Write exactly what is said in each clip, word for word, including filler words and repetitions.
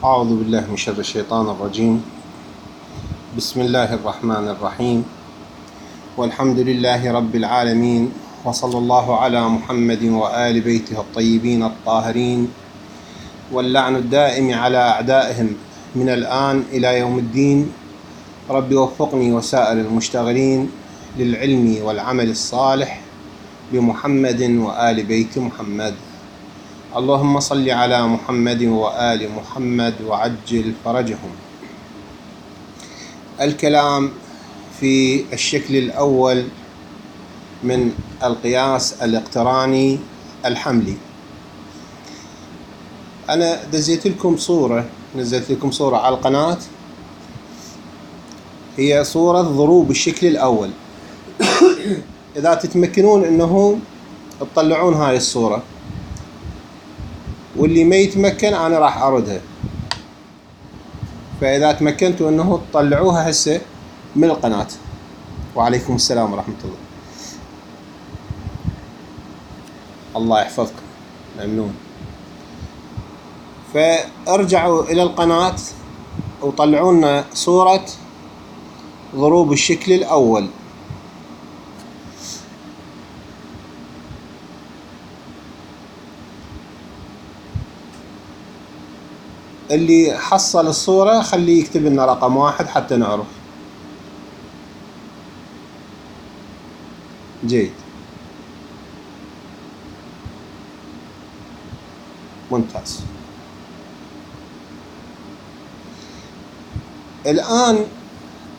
أعوذ بالله من شر الشيطان الرجيم. بسم الله الرحمن الرحيم، والحمد لله رب العالمين، وصلى الله على محمد وآل بيته الطيبين الطاهرين، واللعن الدائم على أعدائهم من الآن إلى يوم الدين. رب وفقني وسائر المشتغلين للعلم والعمل الصالح بمحمد وآل بيت محمد. اللهم صل على محمد وآل محمد وعجل فرجهم. الكلام في الشكل الأول من القياس الاقتراني الحملي. أنا دزيت لكم صورة نزلت لكم صورة على القناة، هي صورة ضروب الشكل الأول. إذا تتمكنون إنه تطلعون هاي الصورة، واللي ما يتمكن أنا راح أردها، فإذا تمكنتوا إنه تطلعوها هسه من القناة. وعليكم السلام ورحمة الله. الله يحفظكم، ممنون. فارجعوا إلى القناة وطلعوا لنا صورة ضروب الشكل الأول. اللي حصل الصورة خليه يكتب لنا رقم واحد حتى نعرف. جيد، ممتاز. الآن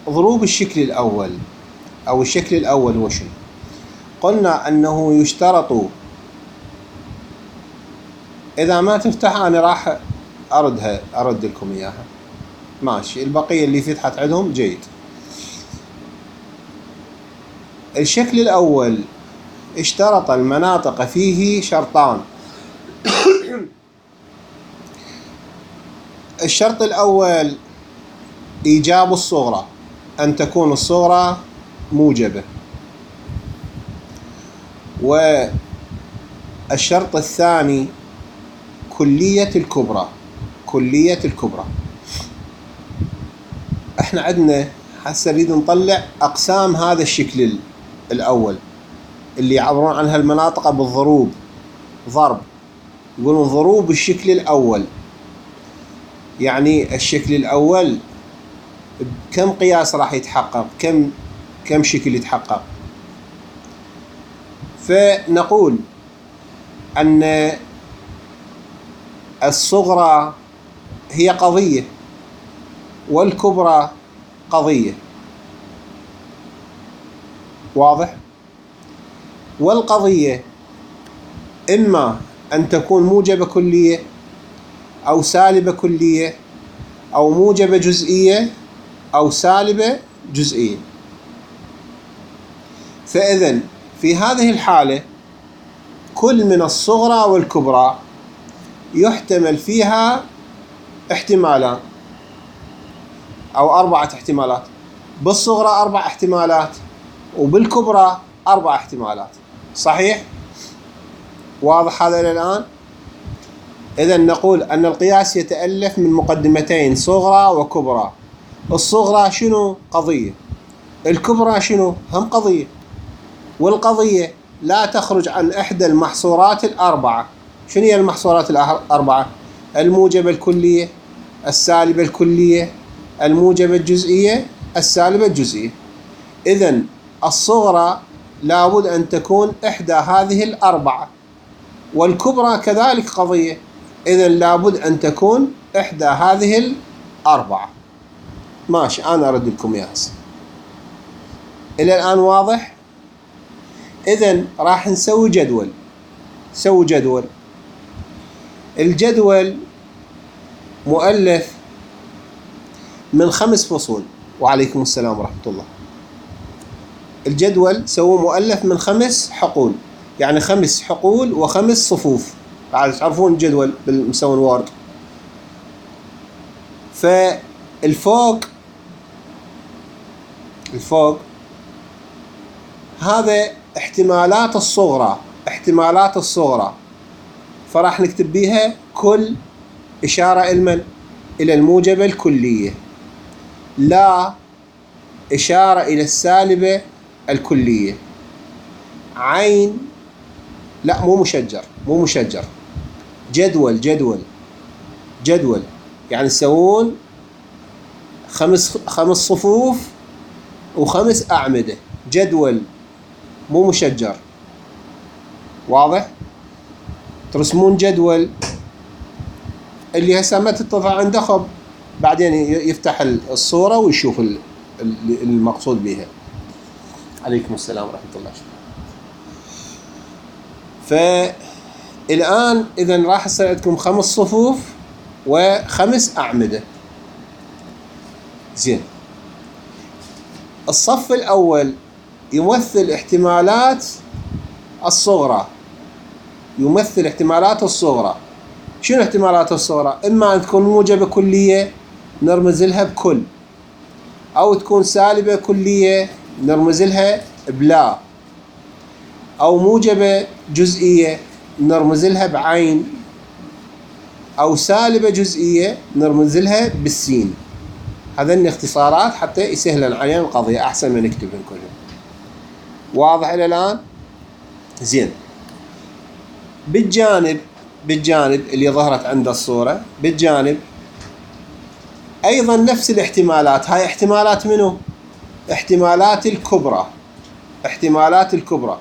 ضروب الشكل الأول أو الشكل الأول هو شنو؟ قلنا أنه يشترط، إذا ما تفتح أنا راح أردها أرد لكم إياها، ماشي. البقية اللي فتحت عندهم جيد. الشكل الأول اشترط المناطق فيه شرطان. الشرط الأول إيجاب الصغرى، أن تكون الصغرى موجبة. والشرط الثاني كلية الكبرى. كلية الكبرى. احنا عندنا هسه نريد نطلع أقسام هذا الشكل الأول اللي يعبرون عنها المناطق بالضروب، ضرب. يقولون ضروب الشكل الأول، يعني الشكل الأول كم قياس راح يتحقق، كم كم شكل يتحقق. فنقول أن الصغرى هي قضية والكبرى قضية، واضح؟ والقضية إما أن تكون موجبة كلية أو سالبة كلية أو موجبة جزئية أو سالبة جزئية. فإذن في هذه الحالة كل من الصغرى والكبرى يحتمل فيها احتمالان أو أربعة احتمالات. بالصغرى أربع احتمالات وبالكبرى أربع احتمالات. صحيح؟ واضح هذا إلى الآن؟ إذن نقول أن القياس يتألف من مقدمتين، صغرى وكبرى. الصغرى شنو؟ قضية. الكبرى شنو؟ هم قضية. والقضية لا تخرج عن إحدى المحصورات الأربعة. شنو هي المحصورات الأربعة؟ الموجبة الكلية، السالبة الكلية، الموجبة الجزئية، السالبة الجزئية. إذن الصغرى لابد أن تكون إحدى هذه الأربعة، والكبرى كذلك قضية، إذن لابد أن تكون إحدى هذه الأربعة. ماشي، أنا أرد لكم إياها. إلى الآن واضح؟ إذن راح نسوي جدول. سوي جدول. الجدول مؤلف من خمس فصول. وعليكم السلام ورحمة الله. الجدول سووا مؤلف من خمس حقول، يعني خمس حقول وخمس صفوف. بعد تعرفون الجدول بالمسوي وورد. فالفوق الفوق هذا احتمالات الصغرى، احتمالات الصغرى، فراح نكتب بيها كل إشارة إلمن إلى الموجبة الكلية، لا إشارة إلى السالبة الكلية، عين لا مو مشجر مو مشجر جدول جدول جدول يعني تسوون خمس خمس صفوف وخمس أعمدة، جدول مو مشجر. واضح؟ ترسمون جدول اللي هسه ما تتضح عنده خب بعدين يفتح الصورة ويشوف المقصود بها. عليكم السلام ورحمة الله. فالآن إذا راح يصير عندكم خمس صفوف وخمس أعمدة. زين، الصف الأول يمثل احتمالات الصغرى، يمثل احتمالات الصغرى. شنو احتمالات الصغرى؟ إما أن تكون موجبة كلية نرمز لها بكل، أو تكون سالبة كلية نرمز لها بلا، أو موجبة جزئية نرمز لها بعين، أو سالبة جزئية نرمز لها بالسين. هذين اختصارات حتى يسهل علينا القضية أحسن ما نكتبهم كلهم. واضح إلى الآن؟ زين، بالجانب بالجانب اللي ظهرت عند الصورة بالجانب أيضا نفس الاحتمالات. هاي احتمالات منو؟ احتمالات الكبرى، احتمالات الكبرى.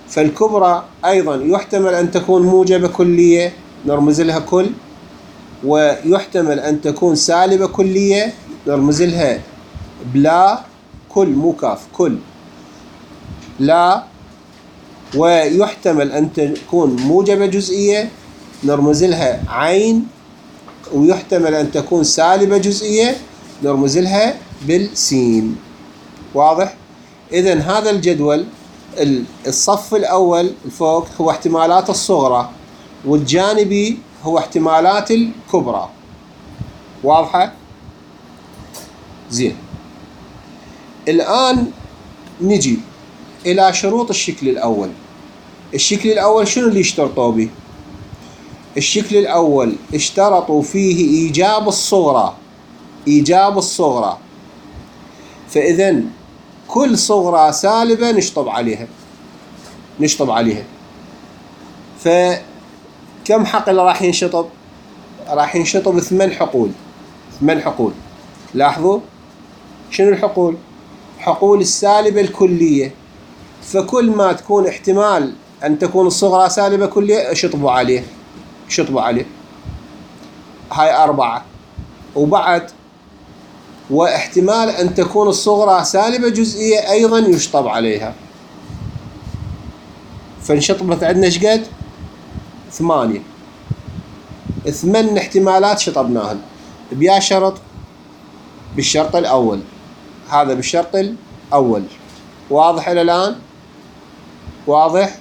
فالكبرى أيضا يحتمل أن تكون موجبة كلية نرمز لها كل، ويحتمل أن تكون سالبة كلية نرمز لها بلا، كل مو كاف كل لا، ويحتمل أن تكون موجبة جزئية نرمز لها عين، ويحتمل أن تكون سالبة جزئية نرمز لها بالسين. واضح؟ إذن هذا الجدول الصف الأول الفوق هو احتمالات الصغرى، والجانبي هو احتمالات الكبرى. واضحة؟ زين، الآن نجي إلى شروط الشكل الأول. الشكل الأول شنو اللي اشترطوا به؟ الشكل الأول اشترطوا فيه إيجاب الصغرى، إيجاب الصغرى. فإذن كل صغرى سالبة نشطب عليها، نشطب عليها. فكم حقل راح ينشطب؟ راح ينشطب ثمان حقول، ثمان حقول. لاحظوا شنو الحقول؟ حقول السالبة الكلية. فكل ما تكون احتمال أن تكون الصغرى سالبة كلية اشطبوا عليه، شطبوا عليه. هاي أربعة. وبعد واحتمال أن تكون الصغرى سالبة جزئية أيضا يشطب عليها. فانشطبت عندنا شقد؟ ثمانية. ثمان احتمالات شطبناهن. بيا شرط؟ بالشرط الأول. هذا بالشرط الأول. واضح إلى الآن؟ واضح؟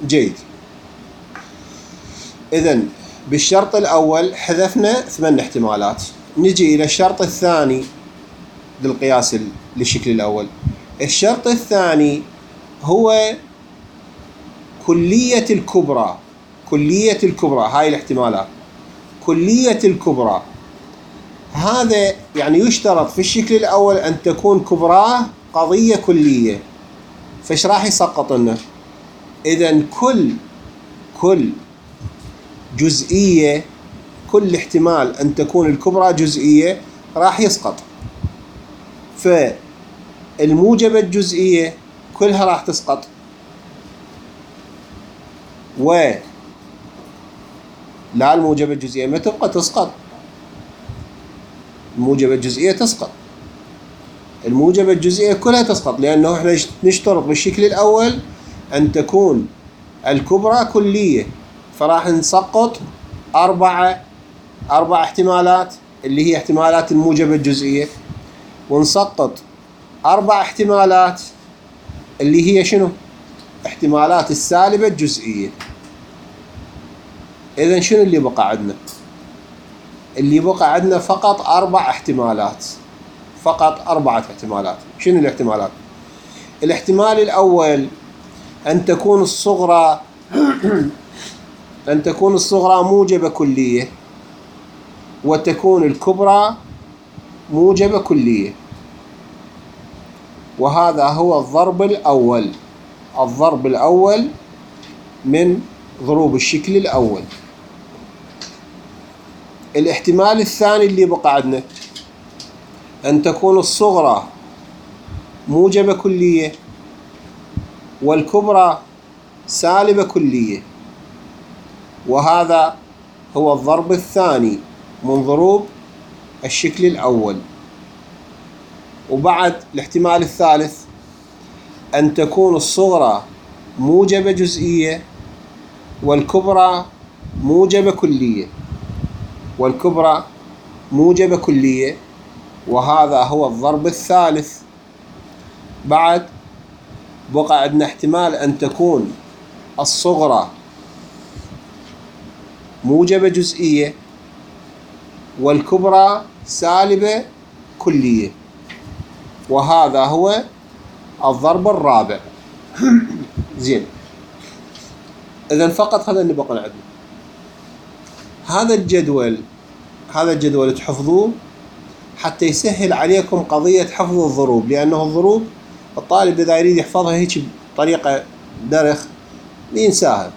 جيد. إذن بالشرط الأول حذفنا ثمان احتمالات. نجي إلى الشرط الثاني للقياس للشكل الأول. الشرط الثاني هو كلية الكبرى، كلية الكبرى. هاي الاحتمالات كلية الكبرى. هذا يعني يشترط في الشكل الأول أن تكون كبراه قضية كلية. فايش راح يسقط لنا؟ إذن كل كل جزئية، كل احتمال أن تكون الكبرى جزئية راح يسقط. فالموجبة الجزئية كلها راح تسقط، و لا الموجبة الجزئية ما تبقى تسقط. الموجبة الجزئية تسقط، الموجبة الجزئية كلها تسقط، لأنه احنا نشترط بالشكل الأول أن تكون الكبرى كلية. فراح نسقط أربعة أربع احتمالات اللي هي احتمالات الموجبة الجزئية، ونسقط أربع احتمالات اللي هي شنو؟ احتمالات السالبة الجزئية. إذن شنو اللي بقى عندنا؟ اللي بقى عندنا فقط أربع احتمالات، فقط أربعة احتمالات. شنو الاحتمالات؟ الاحتمال الأول أن تكون الصغرى أن تكون الصغرى موجبة كلية، وتكون الكبرى موجبة كلية. وهذا هو الضرب الأول الضرب الأول من ضروب الشكل الأول. الاحتمال الثاني اللي بقى عندنا أن تكون الصغرى موجبة كلية والكبرى سالبة كلية، وهذا هو الضرب الثاني من ضروب الشكل الأول. وبعد الاحتمال الثالث أن تكون الصغرى موجبة جزئية والكبرى موجبة كلية والكبرى موجبة كلية، وهذا هو الضرب الثالث. بعد بقى عندنا احتمال أن تكون الصغرى موجبة جزئية والكبرى سالبة كلية، وهذا هو الضرب الرابع. زين، إذن فقط هذا اللي بقى عندنا. هذا الجدول هذا الجدول تحفظوه حتى يسهل عليكم قضية حفظ الضروب، لأنه الضروب الطالب إذا يريد يحفظها هيك بطريقة درخ ينساها،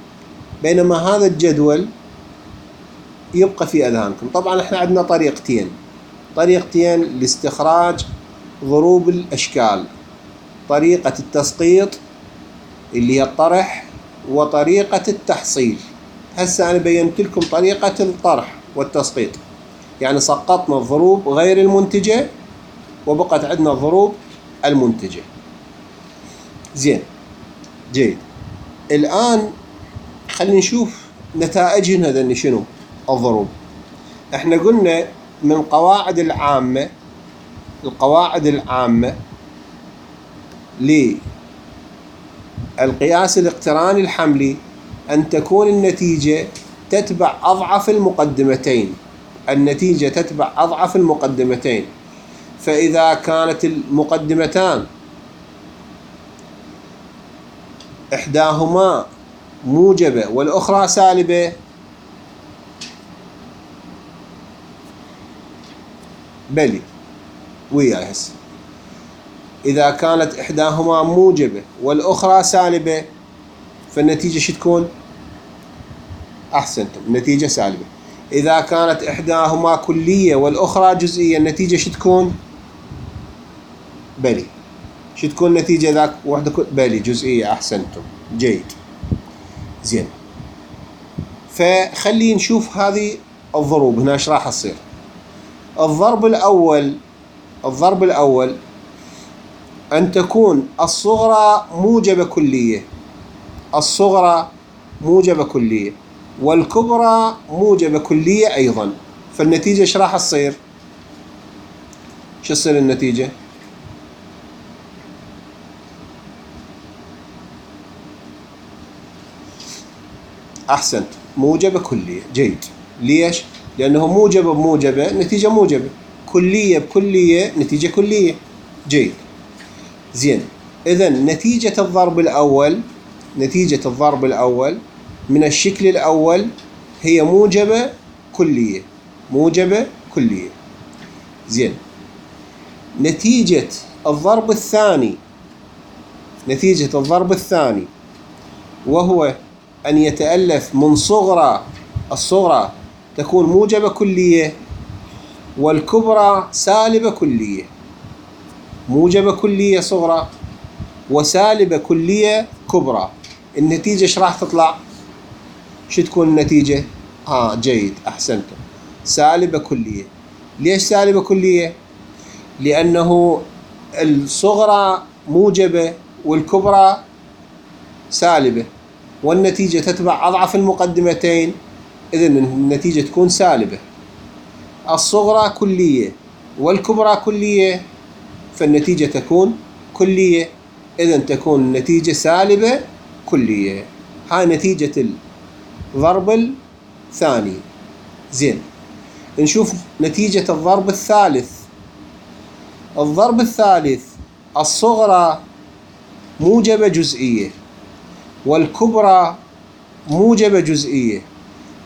بينما هذا الجدول يبقى في أذهانكم. طبعا احنا عندنا طريقتين طريقتين لاستخراج ضروب الأشكال: طريقة التسقيط اللي هي الطرح، وطريقة التحصيل. هسه أنا بينت لكم طريقة الطرح والتسقيط، يعني سقطنا الضروب غير المنتجة وبقت عندنا الضروب المنتجة. زين، جيد. الآن خلينا نشوف نتائجهن هذني شنو الضروب. احنا قلنا من قواعد العامة القواعد العامة للقياس الاقتراني الحملي أن تكون النتيجة تتبع أضعف المقدمتين النتيجة تتبع أضعف المقدمتين. فإذا كانت المقدمتان إحداهما موجبة والأخرى سالبة، بلي وياي هسه إذا كانت إحداهما موجبة والأخرى سالبة فالنتيجة شو تكون؟ أحسنتم، النتيجة سالبة. إذا كانت إحداهما كلية والأخرى جزئية النتيجة شو تكون؟ بلي شو تكون النتيجة ذاك واحدة كل... بلي جزئية. أحسنتم، جيد. زين، فخلي نشوف هذه الضروب هنا ايش راح تصير. الضرب الأول الضرب الأول أن تكون الصغرى موجبة كلية الصغرى موجبة كلية والكبرى موجبة كلية أيضا، فالنتيجة ايش راح تصير؟ شو تصير النتيجة؟ أحسنت، موجبة كلية. جيد. ليش؟ لأنه موجبة بموجبة نتيجة موجبة، كلية بكلية نتيجة كلية. جيد. زين، إذن نتيجة الضرب الأول نتيجة الضرب الأول من الشكل الأول هي موجبة كلية موجبة كلية. زين، نتيجة الضرب الثاني نتيجة الضرب الثاني وهو أن يتألف من صغرى الصغرى تكون موجبة كلية والكبرى سالبة كلية. موجبة كلية صغرى وسالبة كلية كبرى، النتيجة ايش راح تطلع؟ شو تكون النتيجة؟ اه جيد، أحسنتم، سالبة كلية. ليش سالبة كلية؟ لأنه الصغرى موجبة والكبرى سالبة، والنتيجة تتبع أضعف المقدمتين، إذن النتيجة تكون سالبة. الصغرى كلية والكبرى كلية فالنتيجة تكون كلية، إذن تكون النتيجة سالبة كلية. هاي نتيجة الضرب الثاني. زين، نشوف نتيجة الضرب الثالث. الضرب الثالث الصغرى موجبة جزئية والكبرى موجبة جزئية،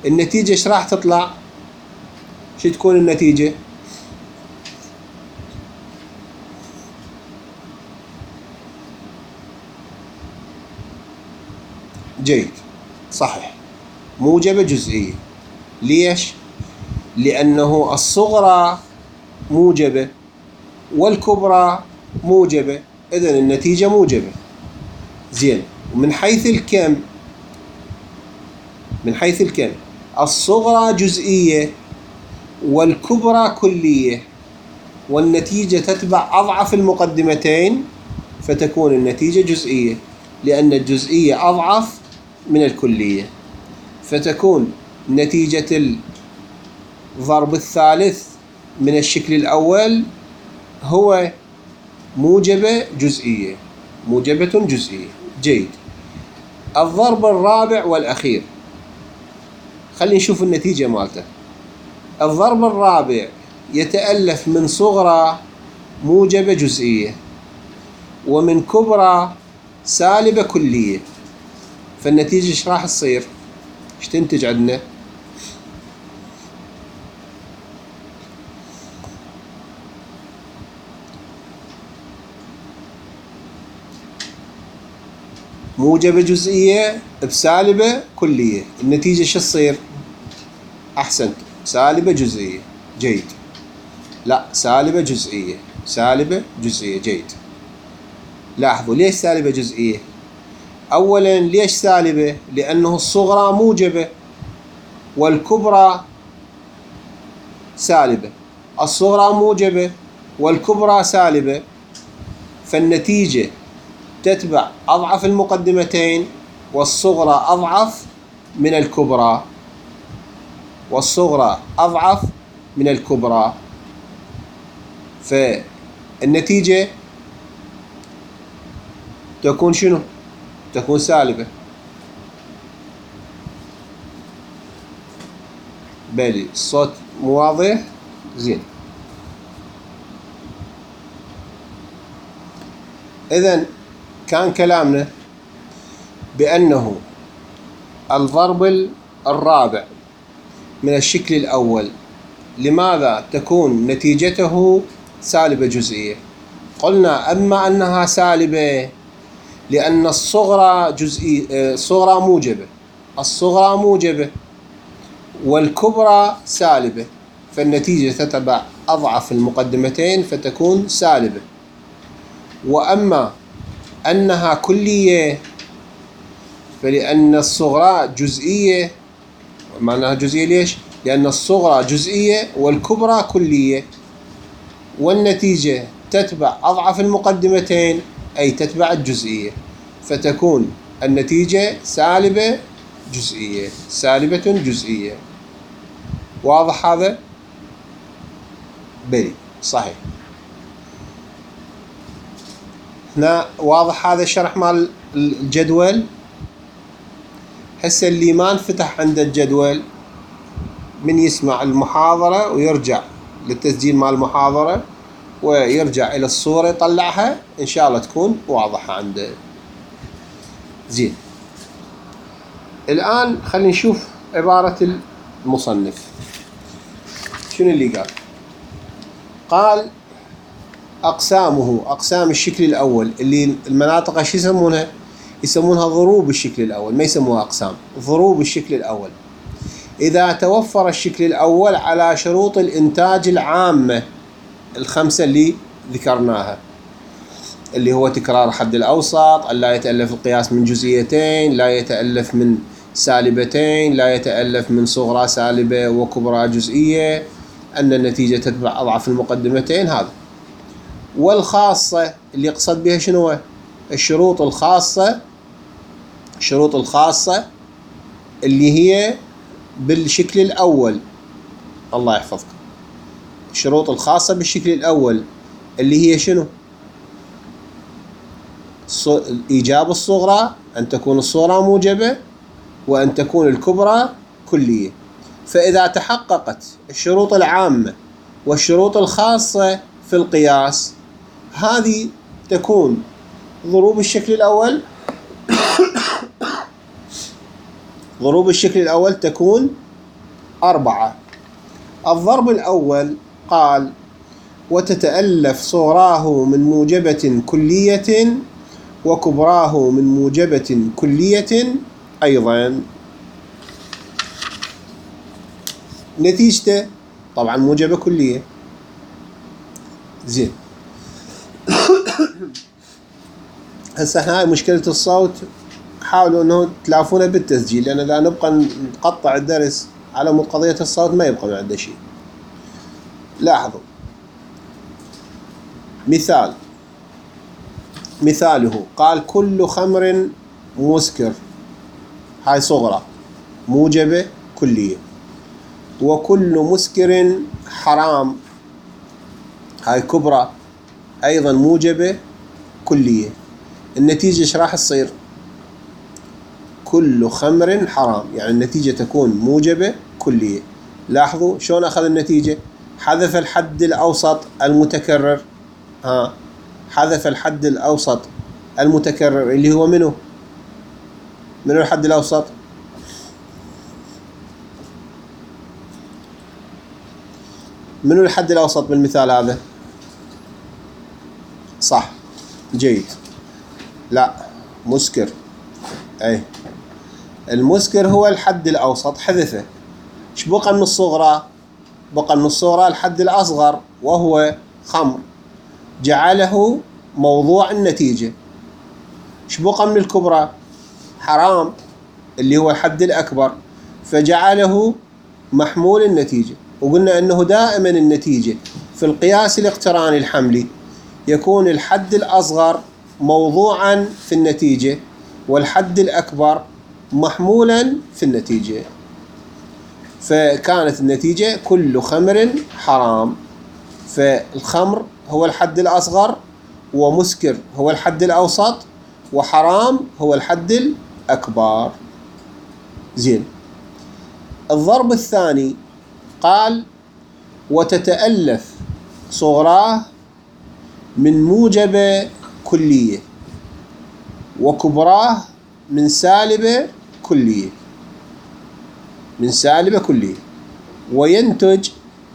النتيجة ايش راح تطلع؟ شو تكون النتيجة؟ جيد، صحيح، موجبة جزئية. ليش؟ لأنه الصغرى موجبة والكبرى موجبة، إذن النتيجة موجبة. زين، ومن حيث الكم، من حيث الكم الصغرى جزئية والكبرى كلية، والنتيجة تتبع أضعف المقدمتين، فتكون النتيجة جزئية، لأن الجزئية أضعف من الكلية، فتكون نتيجة الضرب الثالث من الشكل الأول هو موجبة جزئية، موجبة جزئية. جيد. الضرب الرابع والأخير، خلينا نشوف النتيجة مالته. الضرب الرابع يتألف من صغرى موجبة جزئية ومن كبرى سالبة كلية، فالنتيجة ايش راح تصير؟ ايش تنتج عندنا؟ موجبة جزئية بسالبة كلية، النتيجة شو تصير؟ أحسنت، سالبة جزئية. جيد. لا، سالبة جزئية، سالبة جزئية. جيد. لاحظوا ليش سالبة جزئية؟ أولا ليش سالبة؟ لأنه الصغرى موجبة والكبرى سالبة، الصغرى موجبة والكبرى سالبة، فالنتيجة تتبع أضعف المقدمتين، والصغرى أضعف من الكبرى، والصغرى أضعف من الكبرى، فالنتيجة تكون شنو؟ تكون سالبة. بالي الصوت مو واضح؟ زين. إذن كان كلامنا بأنه الضرب الرابع من الشكل الأول لماذا تكون نتيجته سالبة جزئية؟ قلنا أما أنها سالبة لأن الصغرى جزئية، الصغرى موجبة، الصغرى موجبة والكبرى سالبة، فالنتيجة تتبع أضعف المقدمتين فتكون سالبة. وأما أنها كلية فلأن الصغرى جزئية، معناها جزئية ليش؟ لأن الصغرى جزئية والكبرى كلية، والنتيجة تتبع أضعف المقدمتين أي تتبع الجزئية، فتكون النتيجة سالبة جزئية، سالبة جزئية. واضح هذا؟ بلي صحيح. هنا واضح هذا الشرح مال الجدول. هسه اللي ما انفتح عنده الجدول من يسمع المحاضرة ويرجع للتسجيل مال المحاضرة ويرجع إلى الصورة يطلعها إن شاء الله تكون واضحة عنده. زين. الآن خلينا نشوف عبارة المصنف شنو اللي قال. قال أقسامه، أقسام الشكل الأول اللي المناطق ايش يسمونها؟ يسمونها ضروب الشكل الأول، ما يسموها أقسام، ضروب الشكل الأول. إذا توفر الشكل الأول على شروط الإنتاج العامة الخمسة اللي ذكرناها، اللي هو تكرار حد الأوسط، لا يتألف القياس من جزئيتين، لا يتألف من سالبتين، لا يتألف من صغرى سالبة وكبرى جزئية، أن النتيجة تتبع أضعف المقدمتين، هذا. والخاصة اللي يقصد بها شنو؟ الشروط الخاصة، الشروط الخاصة اللي هي بالشكل الأول، الله يحفظكم. الشروط الخاصة بالشكل الأول اللي هي شنو؟ إيجاب الصغرى، أن تكون الصغرى موجبة، وأن تكون الكبرى كلية. فإذا تحققت الشروط العامة والشروط الخاصة في القياس، هذه تكون ضروب الشكل الأول ضروب الشكل الأول تكون أربعة. الضرب الأول قال وتتألف صغراه من موجبة كلية وكبراه من موجبة كلية أيضا. نتيجته طبعا موجبة كلية. زين. هسه احنا هاي مشكلة الصوت، حاولوا انه تلافونه بالتسجيل، لان اذا نبقى نقطع الدرس على مود قضية الصوت ما يبقى من عنده شيء. لاحظوا مثال، مثاله قال كل خمر مسكر، هاي صغرى موجبة كلية، وكل مسكر حرام، هاي كبرى ايضا موجبة كلية. النتيجة ايش راح تصير؟ كل خمر حرام، يعني النتيجة تكون موجبة كلية. لاحظوا شلون اخذ النتيجة، حذف الحد الاوسط المتكرر، ها حذف الحد الاوسط المتكرر اللي هو منو؟ منو الحد الاوسط؟ منو الحد الاوسط بالمثال هذا؟ صح، جيد. لا، مسكر. اي المسكر هو الحد الاوسط، حذفه. ايش بقى من الصغرى؟ بقى من الصغرى الحد الاصغر وهو خمر، جعله موضوع النتيجة. ايش بقى من الكبرى؟ حرام اللي هو الحد الاكبر، فجعله محمول النتيجة. وقلنا انه دائما النتيجة في القياس الاقتراني الحملي يكون الحد الاصغر موضوعا في النتيجة والحد الاكبر محمولا في النتيجة. فكانت النتيجة كل خمر حرام، فالخمر هو الحد الأصغر، ومسكر هو الحد الأوسط، وحرام هو الحد الأكبر. زين. الضرب الثاني قال وتتألف صغراه من موجبة كلية وكبراه من سالبة كلية، من سالبة كلية، وينتج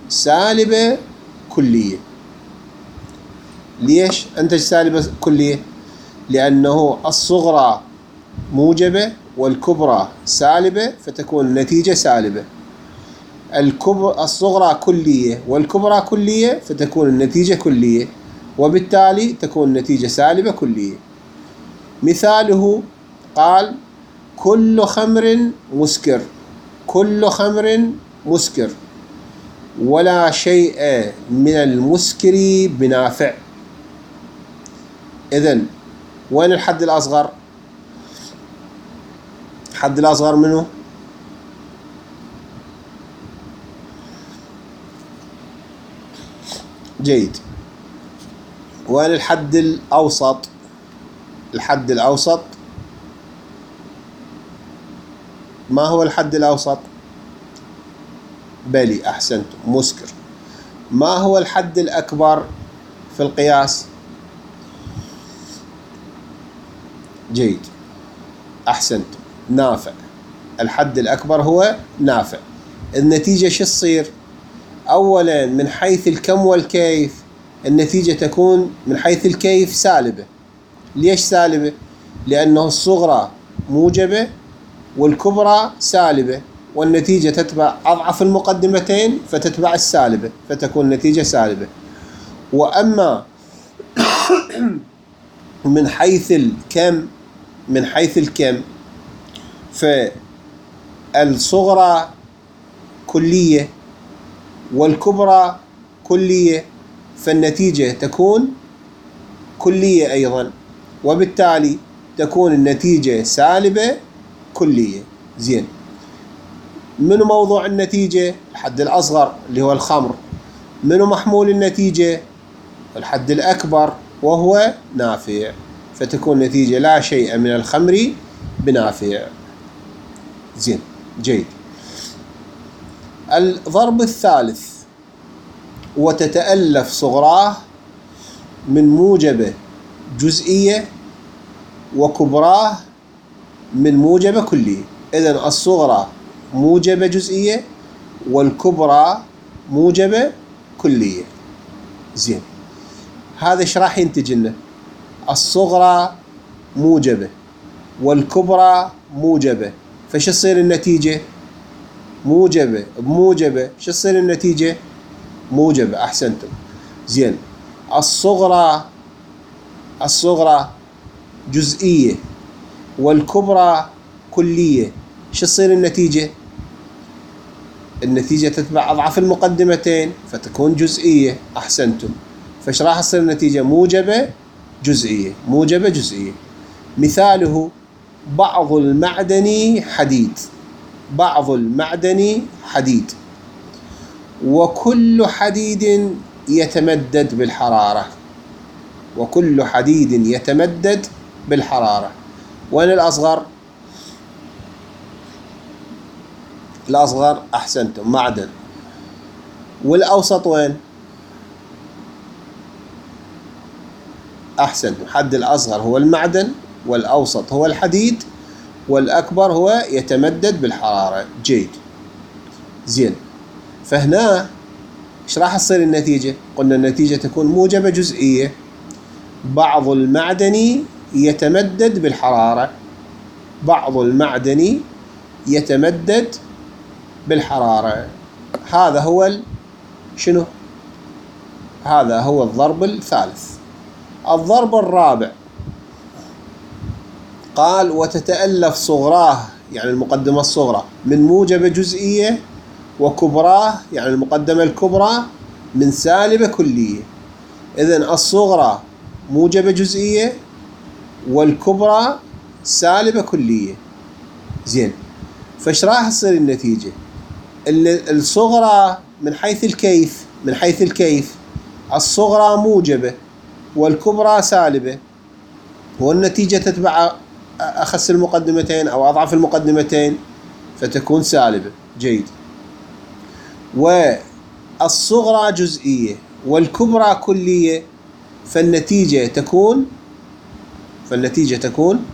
سالبة كلية. ليش أنتج سالبة كلية؟ لأنه الصغرى موجبة والكبرى سالبة، فتكون النتيجة سالبة. الكبرى الصغرى كلية والكبرى كلية، فتكون النتيجة كلية، وبالتالي تكون النتيجة سالبة كلية. مثاله قال كل خمر مسكر، كل خمر مسكر، ولا شيء من المسكر بنافع. إذن وين الحد الأصغر؟ الحد الأصغر منه؟ جيد. وين الحد الأوسط؟ الحد الأوسط ما هو الحد الأوسط؟ بلي أحسنت، مسكر. ما هو الحد الأكبر في القياس؟ جيد، أحسنت، نافع. الحد الأكبر هو نافع. النتيجة شو تصير؟ أولا من حيث الكم والكيف النتيجة تكون من حيث الكيف سالبة. ليش سالبة؟ لأنه الصغرى موجبة والكبرى سالبة، والنتيجة تتبع أضعف المقدمتين فتتبع السالبة، فتكون النتيجة سالبة. وأما من حيث الكم، من حيث الكم فالصغرى كلية والكبرى كلية، فالنتيجة تكون كلية أيضا، وبالتالي تكون النتيجة سالبة كلية. زين. منو موضوع النتيجة؟ الحد الأصغر اللي هو الخمر. منو محمول النتيجة؟ الحد الأكبر وهو نافع، فتكون نتيجة لا شيء من الخمر بنافع. زين، جيد. الضرب الثالث وتتألف صغراه من موجبة جزئية وكبراه من موجبة كلية. إذن الصغرى موجبة جزئية والكبرى موجبة كلية. زين، هذا ايش راح ينتج لنا؟ الصغرى موجبة والكبرى موجبة، فش تصير النتيجة؟ موجبة بموجبة، شو تصير النتيجة؟ موجبة. أحسنتم. زين، الصغرى الصغرى جزئية والكبرى كلية، شو تصير النتيجة؟ النتيجة تتبع أضعاف المقدمتين فتكون جزئية. أحسنتم. فش راح تصير النتيجة؟ موجبة جزئية، موجبة جزئية. مثاله بعض المعدن حديد، بعض المعدن حديد، وكل حديد يتمدد بالحرارة، وكل حديد يتمدد بالحرارة. وين الأصغر؟ الأصغر أحسنتم، معدن. والأوسط وين؟ أحسنتم، حد الأصغر هو المعدن، والأوسط هو الحديد، والأكبر هو يتمدد بالحرارة. جيد. زين، فهنا ايش راح تصير النتيجة؟ قلنا النتيجة تكون موجبة جزئية. بعض المعدن يتمدد بالحرارة، بعض المعدن يتمدد بالحرارة. هذا هو ال... شنو؟ هذا هو الضرب الثالث. الضرب الرابع قال وتتألف صغراه، يعني المقدمة الصغرى، من موجبة جزئية، وكبراه يعني المقدمة الكبرى من سالبة كلية. إذن الصغرى موجبة جزئية والكبرى سالبة كلية. زين، فايش راح تصير النتيجة؟ الصغرى من حيث الكيف، من حيث الكيف الصغرى موجبة والكبرى سالبة، والنتيجة تتبع أخس المقدمتين أو أضعف المقدمتين فتكون سالبة. جيد. والصغرى جزئية والكبرى كلية، فالنتيجة تكون فالنتيجة تكون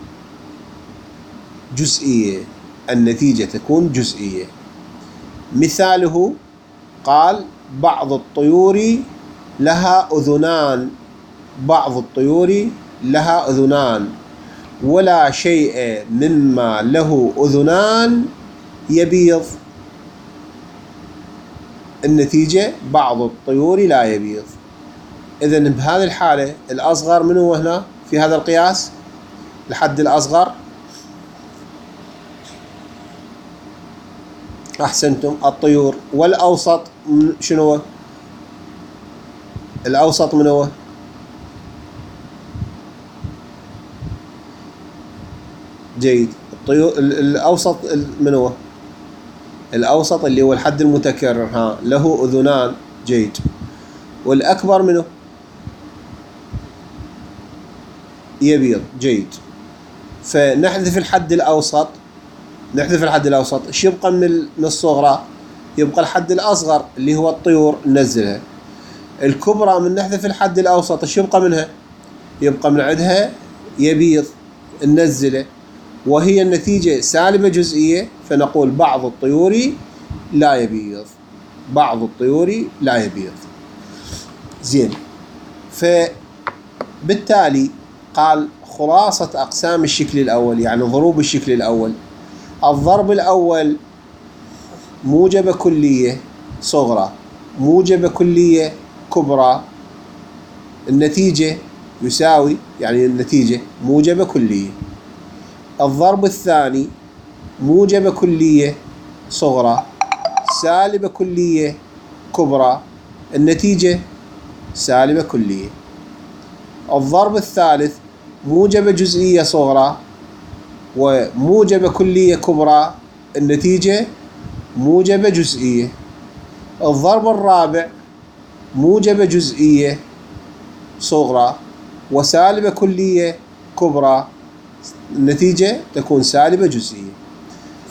جزئية، النتيجة تكون جزئية. مثاله قال بعض الطيور لها أذنان، بعض الطيور لها أذنان، ولا شيء مما له أذنان يبيض. النتيجة بعض الطيور لا يبيض. إذن بهذه الحالة الأصغر من هو هنا في هذا القياس؟ الحد الأصغر أحسنتم الطيور. والأوسط شنو هو؟ الأوسط من هو؟ جيد. الطيور الأوسط من هو؟ الأوسط اللي هو الحد المتكرر، ها له أذنان. جيد. والأكبر منه؟ يبيض. جيد. فنحذف الحد الأوسط، نحذف الحد الأوسط، ايش يبقى من الصغرى؟ يبقى الحد الأصغر اللي هو الطيور، ننزلها. الكبرى من نحذف الحد الأوسط، ايش يبقى منها؟ يبقى من عندها يبيض، ننزله، وهي النتيجة سالبة جزئية، فنقول بعض الطيور لا يبيض، بعض الطيور لا يبيض. زين، فبالتالي قال خلاصة أقسام الشكل الأول، يعني ضروب الشكل الأول. الضرب الأول موجبة كلية صغرى، موجبة كلية كبرى، النتيجة يساوي، يعني النتيجة موجبة كلية. الضرب الثاني موجبة كلية صغرى سالبة كلية كبرى، النتيجة سالبة كلية. الضرب الثالث موجبة جزئية صغرى وموجبة كلية كبرى، النتيجة موجبة جزئية. الضرب الرابع موجبة جزئية صغرى وسالبة كلية كبرى، النتيجة تكون سالبة جزئية.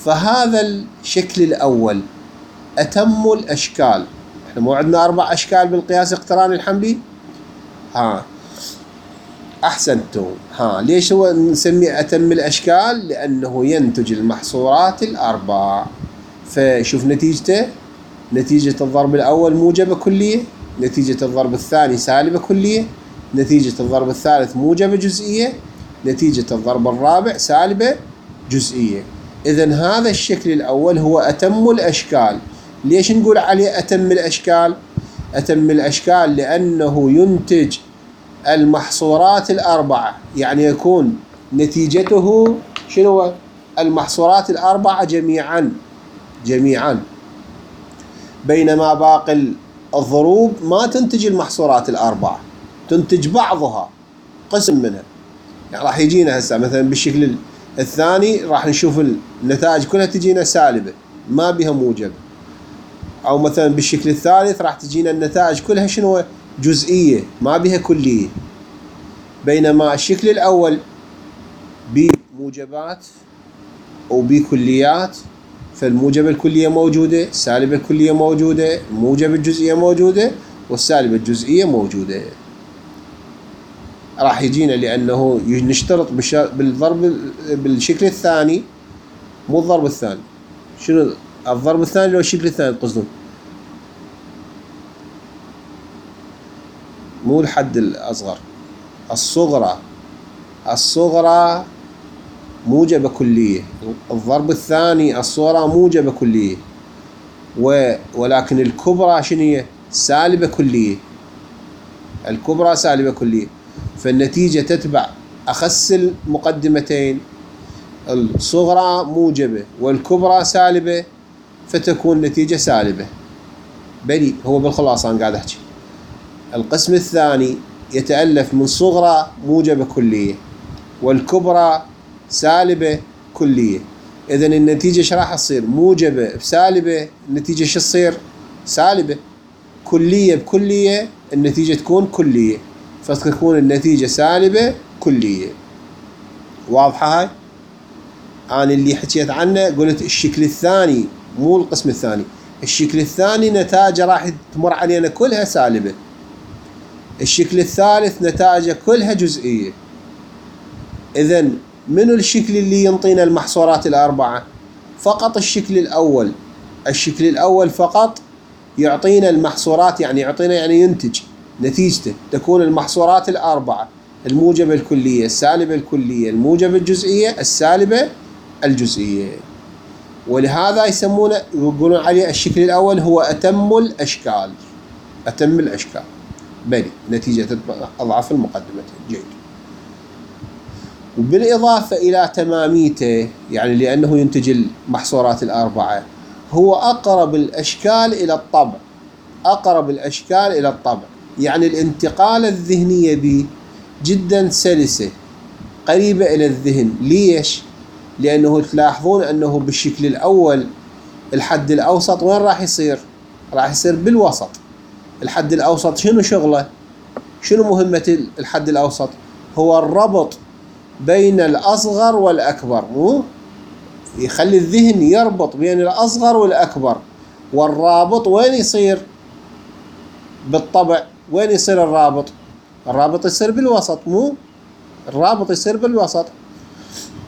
فهذا الشكل الأول أتم الأشكال. احنا مو عندنا أربع أشكال بالقياس الاقتراني الحملي؟ ها أحسنتم. ها ليش هو نسميه أتم الأشكال؟ لأنه ينتج المحصورات الأربع. فشوف نتيجته، نتيجة الضرب الأول موجبة كلية، نتيجة الضرب الثاني سالبة كلية، نتيجة الضرب الثالث موجبة جزئية، نتيجة الضرب الرابع سالبة جزئية. إذن هذا الشكل الأول هو أتم الأشكال. ليش نقول عليه أتم الأشكال؟ أتم الأشكال لأنه ينتج المحصورات الأربعة، يعني يكون نتيجته شنو؟ المحصورات الأربعة جميعا جميعا، بينما باقي الضروب ما تنتج المحصورات الأربعة، تنتج بعضها، قسم منها. يعني راح يجينا هسه مثلا بالشكل الثاني راح نشوف النتائج كلها تجينا سالبة ما بها موجب، أو مثلا بالشكل الثالث راح تجينا النتائج كلها شنو؟ جزئية ما بها كلية. بينما الشكل الأول بموجبات وبكليات، فالموجبة الكلية موجودة، السالبة الكلية موجودة، الموجبة الجزئية موجودة، والسالبة الجزئية موجودة. راح يجينا لأنه نشترط بالضرب بالشكل الثاني، مو الضرب الثاني، شنو الضرب الثاني لو الشكل الثاني قصدهم؟ مو الحد الأصغر، الصغرى. الصغرى موجبة كلية، الضرب الثاني الصغرى موجبة كلية، ولكن الكبرى شنو هي؟ سالبة كلية. الكبرى سالبة كلية، فالنتيجة تتبع أخس المقدمتين، الصغرى موجبة والكبرى سالبة، فتكون نتيجة سالبة. بلي هو بالخلاصة أنا قاعد أحكي. القسم الثاني يتألف من صغرى موجبة كلية والكبرى سالبة كلية. إذن النتيجة ايش راح تصير؟ موجبة بسالبة، النتيجة شو تصير؟ سالبة. كلية بكلية، النتيجة تكون كلية، فتكون النتيجة سالبة كلية. واضحة هاي؟ أنا اللي حكيت عنه قلت الشكل الثاني مو القسم الثاني. الشكل الثاني نتائجه راح تمر علينا كلها سالبة. الشكل الثالث نتائجه كلها جزئية. إذن منو الشكل اللي ينطينا المحصورات الأربعة؟ فقط الشكل الأول. الشكل الأول فقط يعطينا المحصورات، يعني يعطينا يعني ينتج نتيجته تكون المحصورات الأربعة: الموجبة الكلية، السالبة الكلية، الموجبة الجزئية، السالبة الجزئية. ولهذا يسمونه يقولون عليه الشكل الأول هو أتم الأشكال. أتم الأشكال. بلي نتيجة أضعف المقدمتين. جيد. وبالإضافة إلى تماميته، يعني لأنه ينتج المحصورات الأربعة، هو أقرب الأشكال إلى الطبع. أقرب الأشكال إلى الطبع، يعني الانتقالة الذهنية به جدا سلسة، قريبة إلى الذهن. ليش؟ لأنه تلاحظون أنه بالشكل الأول الحد الأوسط وين راح يصير؟ راح يصير بالوسط. الحد الأوسط شنو شغله؟ شنو مهمة الحد الأوسط؟ هو الربط بين الأصغر والأكبر، مو يخلي الذهن يربط بين الأصغر والأكبر. والرابط وين يصير؟ بالطبع وين يصير الرابط؟ الرابط يصير بالوسط، مو الرابط يصير بالوسط.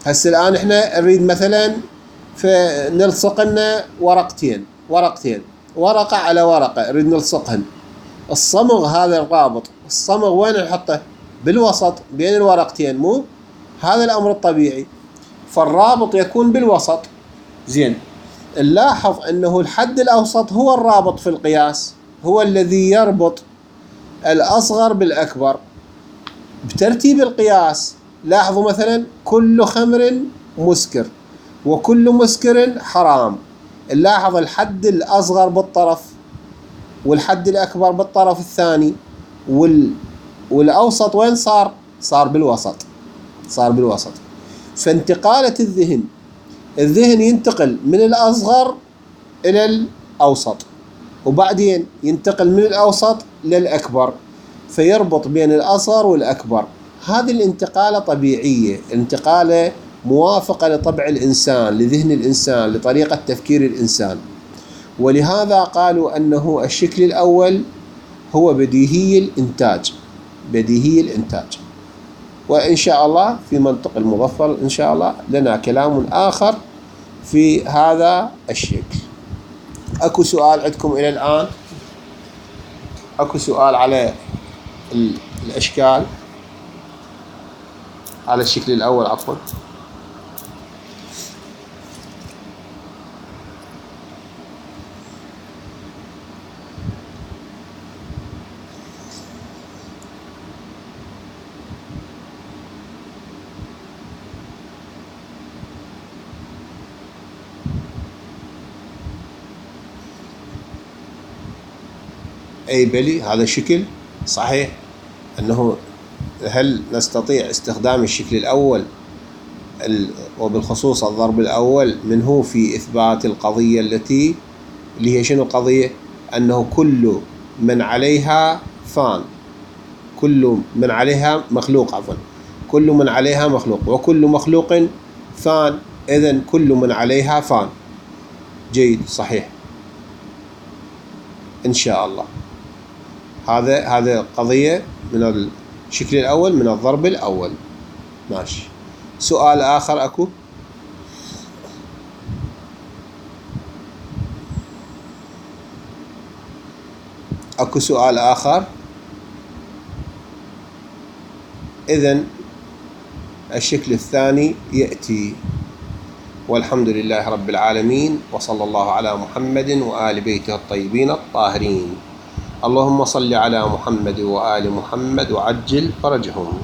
هسه الآن احنا نريد مثلا فنلصق لنا ورقتين ورقتين ورقة على ورقة، نريد نلصقهن. الصمغ هذا الرابط، الصمغ وين نحطه؟ بالوسط بين الورقتين، مو هذا الأمر الطبيعي. فالرابط يكون بالوسط. زين، نلاحظ أنه الحد الأوسط هو الرابط في القياس، هو الذي يربط الأصغر بالأكبر بترتيب القياس. لاحظوا مثلا كل خمر مسكر وكل مسكر حرام. نلاحظ الحد الأصغر بالطرف والحد الأكبر بالطرف الثاني، وال... والأوسط وين صار؟ صار بالوسط، صار بالوسط. فانتقالة الذهن، الذهن ينتقل من الأصغر إلى الأوسط، وبعدين ينتقل من الأوسط للأكبر، فيربط بين الأصغر والأكبر. هذه الانتقالة طبيعية، انتقالة موافقة لطبع الإنسان، لذهن الإنسان، لطريقة تفكير الإنسان. ولهذا قالوا أنه الشكل الأول هو بديهي الإنتاج. بديهي الإنتاج. وإن شاء الله في منطق المظفر إن شاء الله لنا كلام آخر في هذا الشكل. أكو سؤال عندكم إلى الآن؟ أكو سؤال على الأشكال على الشكل الأول عفوا؟ أي بلي هذا شكل صحيح، أنه هل نستطيع استخدام الشكل الأول وبالخصوص الضرب الأول منه في إثبات القضية التي اللي هي شنو القضية؟ أنه كل من عليها فان، كل من عليها مخلوق عفوا كل من عليها مخلوق وكل مخلوق فان، إذن كل من عليها فان. جيد صحيح إن شاء الله. هذا هذا قضية من الشكل الأول من الضرب الأول. ماشي. سؤال آخر أكو؟ أكو سؤال آخر؟ إذن الشكل الثاني يأتي. والحمد لله رب العالمين، وصلى الله على محمد وآل بيته الطيبين الطاهرين. اللهم صل على محمد وآل محمد وعجل فرجهم.